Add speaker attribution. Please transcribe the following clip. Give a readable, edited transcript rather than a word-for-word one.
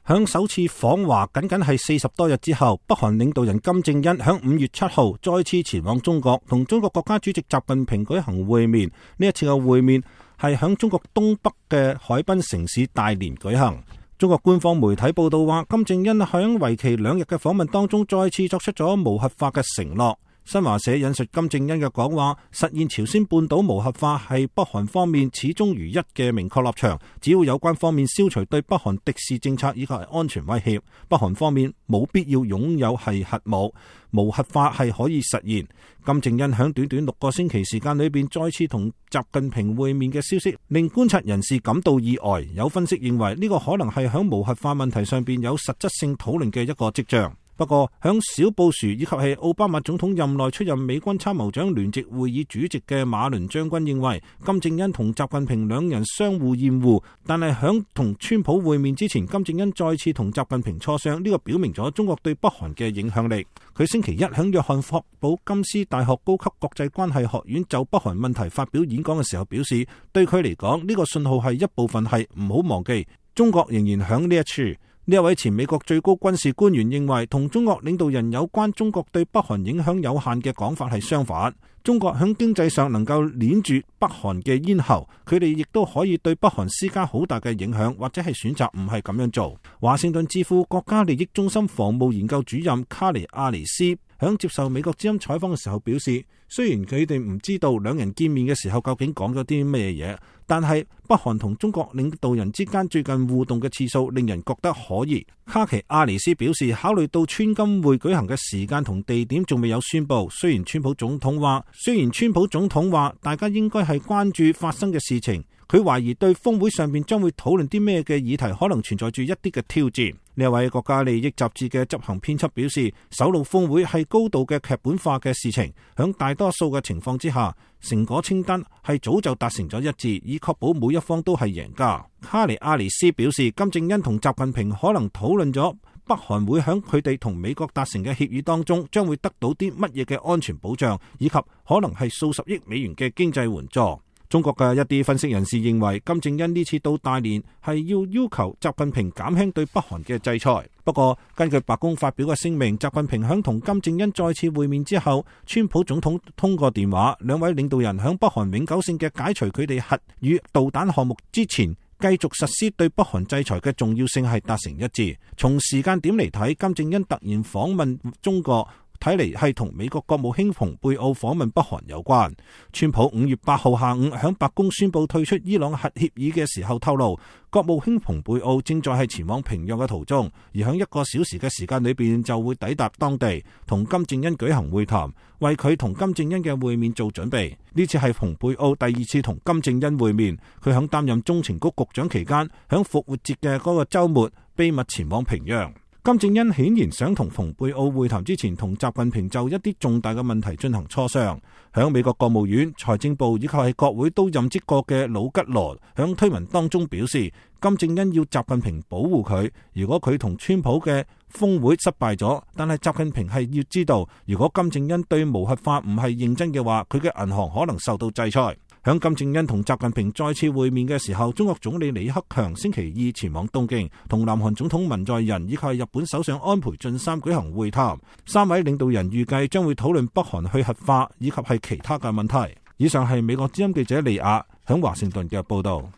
Speaker 1: 響首次訪華僅係40多日之後，北韓領導人金正恩響5月7號再次前往中國，同中國國家主席習近平舉行會面。呢一次嘅會面係響中國東北嘅海濱城市大連舉行。中國官方媒體報道話，金正恩響為期2日嘅訪問當中，再次作出咗無核化嘅承諾。新華社引述金正恩嘅講話，實現朝鮮半島無核化係北韓方面始終如一嘅明確立場。只要有關方面消除對北韓敵視政策以及係安全威脅，北韓方面冇必要擁有係核武，無核化係可以實現。金正恩響短短6個星期時間裏邊再次同習近平會面嘅消息，令觀察人士感到意外。有分析認為呢個可能係響無核化問題上邊有實質性討論嘅一個跡象。不過，響小布殊以及係奧巴馬總統任內出任美軍參謀長聯席會議主席嘅馬倫將軍認為，金正恩同習近平兩人相互厭惡，但係響同川普會面之前，金正恩再次同習近平磋商，呢個表明咗中國對北韓嘅影響力。佢星期一響約翰霍普金斯大學高級國際關係學院就北韓問題發表演講嘅時候表示，對佢嚟講呢個信號係一部分係唔好忘記，中國仍然響呢一處。呢一位前美國最高軍事官員認為，同中國領導人有關中國對北韓影響有限嘅講法係相反。中國響經濟上能夠鏈住北韓嘅咽喉，佢哋亦都可以對北韓施加好大嘅影響，或者係選擇唔係咁樣做。華盛頓智庫國家利益中心防務研究主任卡尼亞尼斯響接受美國之音採訪嘅時候表示，雖然佢哋唔知道兩人見面嘅時候究竟講咗啲咩嘢，但係北韓同中國領導人之間最近互動嘅次數令人覺得可疑。卡奇亞尼斯表示，考慮到川金會舉行嘅時間同地點仲未有宣布，雖然川普總統話大家應該係關注發生嘅事情，佢懷疑對峰會上面將會討論啲咩嘅議題可能存在住一啲嘅挑戰。呢位國家利益雜誌嘅執行編輯表示，首腦峰會係高度嘅劇本化嘅事情，響大多數嘅情況之下，成果清單係早就達成咗一致，以確保每一方都係贏家。卡尼亞尼斯表示，金正恩同習近平可能討論咗北韓會響佢哋同美國達成嘅協議當中將會得到啲乜嘢嘅安全保障，以及可能係數十億美元嘅經濟援助。中國嘅一啲分析人士認為，金正恩呢次到大連係要求習近平減輕對北韓嘅制裁。不過，根據白宮發表嘅聲明，習近平響同金正恩再次會面之後，川普總統通過電話，兩位領導人響北韓永久性嘅解除佢哋核與導彈項目之前，繼續實施對北韓制裁嘅重要性係達成一致。從時間點嚟睇，金正恩突然訪問中國，睇嚟係同美國國務卿蓬佩奧訪問北韓有關。川普5月8號下午響白宮宣布退出伊朗核協議嘅時候透露，國務卿蓬佩奧正在係前往平壤嘅途中，而響1個小時嘅時間裏邊就會抵達當地，同金正恩舉行會談，為佢同金正恩嘅會面做準備。呢次係蓬佩奧第2次同金正恩會面，佢響擔任中情局局長期間，響復活節嘅嗰個週末秘密前往平壤。金正恩顯然想同蓬佩奧會談之前，同習近平就一啲重大嘅問題進行磋商。響美國國務院、財政部以及係國會都任職過嘅魯吉羅響推文當中表示，金正恩要習近平保護佢，如果佢同川普嘅峰會失敗咗，但係習近平係要知道，如果金正恩對無核化唔係認真嘅話，佢嘅銀行可能受到制裁。響金正恩同習近平再次會面嘅時候，中國總理李克強星期2前往東京，同南韓總統文在寅以及日本首相安倍晉三舉行會談。3位領導人預計將會討論北韓去核化以及係其他嘅問題。以上係美國之音記者利亞響華盛頓嘅報道。